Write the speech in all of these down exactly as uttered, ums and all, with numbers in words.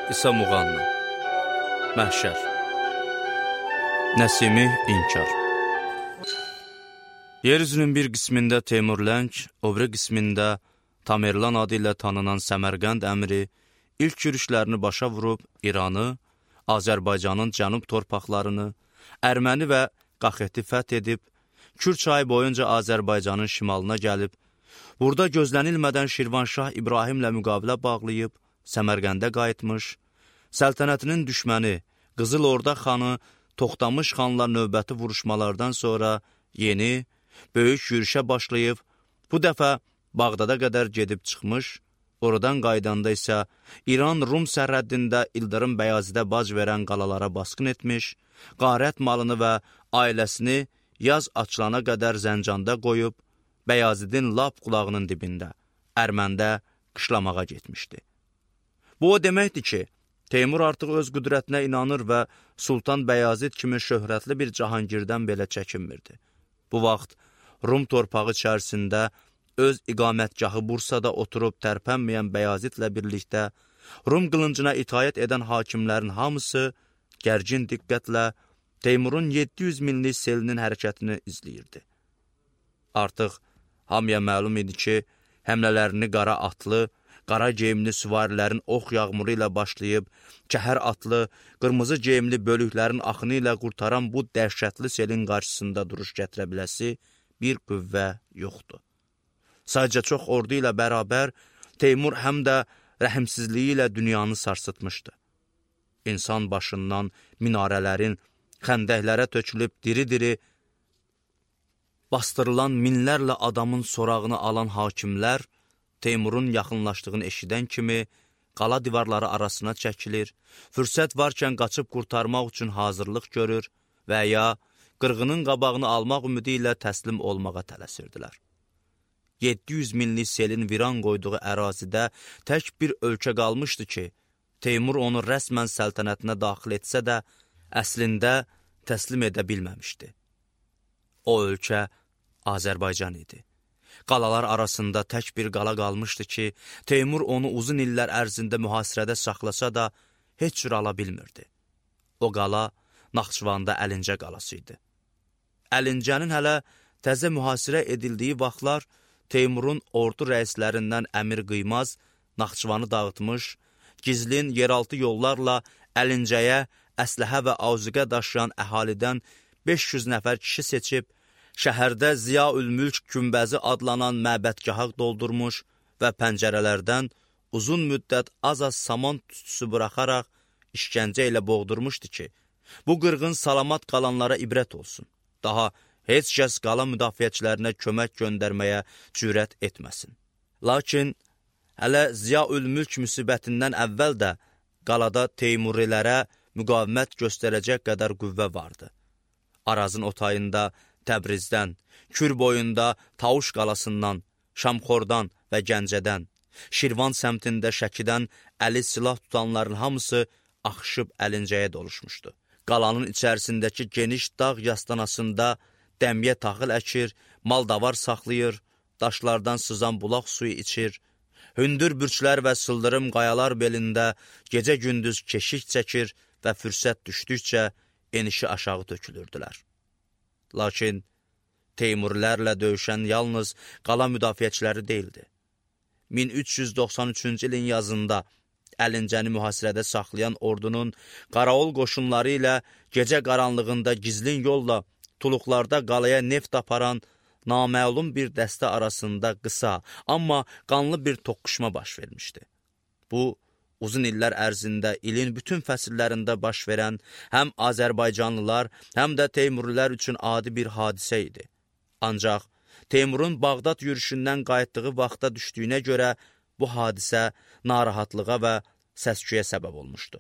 İsa Muğanna Məhşər Nəsimi İnkar Yeryüzünün bir qismində Teymurləng, o biri qismində Tamerlan adı ilə tanınan Səmərqənd əmri ilk yürüşlərini başa vurub İranı, Azərbaycanın cənub torpaqlarını, Ərməni və Qaxeti fəth edib, Kür çayı boyunca Azərbaycanın şimalına gəlib, burada gözlənilmədən Şirvanşah İbrahimlə müqavilə bağlayıb, Səmərqəndə qayıtmış, səltənətinin düşməni Qızıl Orda xanı Toxtamış xanla növbəti vuruşmalardan sonra yeni, böyük yürüşə başlayıb, bu dəfə Bağdada qədər gedib çıxmış, oradan qaydanda isə İran-Rum sərhəddində İldırım Bəyazidə bac verən qalalara basqın etmiş, qarət malını və ailəsini yaz açılana qədər Zəncanda qoyub, Bəyazidin lap qulağının dibində, Ərməndə qışlamağa getmişdi. Bu o deməkdir ki, Teymur artıq öz qüdrətinə inanır və Sultan Bəyazid kimi şöhrətli bir Cahangirdən belə çəkinmirdi. Bu vaxt Rum torpağı içərisində öz iqamətgahı Bursada oturub tərpənməyən Bəyazidlə birlikdə Rum qılıncına itaət edən hakimlərin hamısı gərgin diqqətlə Teymurun yeddi yüz minlik selinin hərəkətini izləyirdi. Artıq hamıya məlum idi ki, həmlələrini qara atlı, qara geyimli süvarilərin ox yağmuru ilə başlayıb, kəhər atlı, qırmızı geyimli bölüklərin axını ilə qurtaran bu dəhşətli selin qarşısında duruş gətirə biləsi bir qüvvə yoxdur. Sadəcə çox ordu ilə bərabər Teymur həm də rəhimsizliyi ilə dünyanı sarsıtmışdı. İnsan başından minarələrin xəndəklərə tökülüb diri-diri bastırılan minlərlə adamın sorağını alan hakimlər Teymurun yaxınlaşdığını eşidən kimi qala divarları arasına çəkilir, fürsət varkən qaçıb qurtarmaq üçün hazırlıq görür və ya qırğının qabağını almaq ümidi ilə təslim olmağa tələsirdilər. yeddi yüz minlik selin viran qoyduğu ərazidə tək bir ölkə qalmışdı ki, Teymur onu rəsmən səltənətinə daxil etsə də, əslində təslim edə bilməmişdi. O ölkə Azərbaycan idi. Qalalar arasında tək bir qala qalmışdı ki, Teymur onu uzun illər ərzində mühasirədə saxlasa da heç cür ala bilmirdi. O qala Naxçıvanda Əlincə qalası idi. Əlincənin hələ təzə mühasirə edildiyi vaxtlar Teymurun ordu rəislərindən Əmir Qıymaz Naxçıvanı dağıtmış, gizlin yeraltı yollarla Əlincəyə əsləhə və azuqə daşıyan əhalidən beş yüz nəfər kişi seçib, şəhərdə Ziyaülmülk Günbəzi adlanan məbədgaha doldurmuş və pəncərələrdən uzun müddət az-az saman tüstüsü buraxaraq işgəncə ilə boğdurmuşdu ki, bu qırğın salamat qalanlara ibrət olsun. Daha heç kəs qala müdafiəçilərinə kömək göndərməyə cürət etməsin. Lakin hələ Ziyaülmülk müsibətindən əvvəl də qalada Teymurilərə müqavimət göstərəcək qədər qüvvə vardı. Arazın otayında Təbrizdən, Kür boyunda Tavuş qalasından, Şamxordan və Gəncədən, Şirvan səmtində Şəkidən əli silah tutanların hamısı axışıb Əlincəyə doluşmuşdu. Qalanın içərisindəki geniş dağ yastanasında dəmiyə taxıl əkir, mal-davar saxlayır, daşlardan sızan bulaq suyu içir, hündür bürçlər və sıldırım qayalar belində gecə-gündüz keşik çəkir və fürsət düşdükcə enişi aşağı tökülürdülər. Lakin Teymurlərlə döyüşən yalnız qala müdafiəçiləri deyildi. min üç yüz doxsan üçüncü ilin yazında Əlincəni mühasirədə saxlayan ordunun Qaraol qoşunları ilə gecə qaranlığında gizlin yolla tuluqlarda qalaya neft aparan naməlum bir dəstə arasında qısa, amma qanlı bir toqquşma baş vermişdi. Bu, uzun illər ərzində ilin bütün fəsillərində baş verən həm Azərbaycanlılar, həm də Teymurilər üçün adi bir hadisə idi. Ancaq Teymurun Bağdad yürüşündən qayıtdığı vaxta düşdüyünə görə bu hadisə narahatlığa və səsküyə səbəb olmuşdu.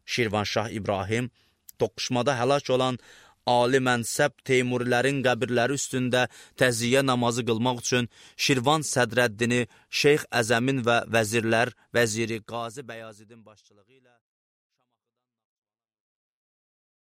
Şirvanşah İbrahim toqquşmada həlak olan ali mənsəb Teymurilərin qəbirləri üstündə təziyyə namazı qılmaq üçün Şirvan sədrəddini Şeyx Əzəmin və vəzirlər, vəziri Qazi Bəyazidin başçılığı ilə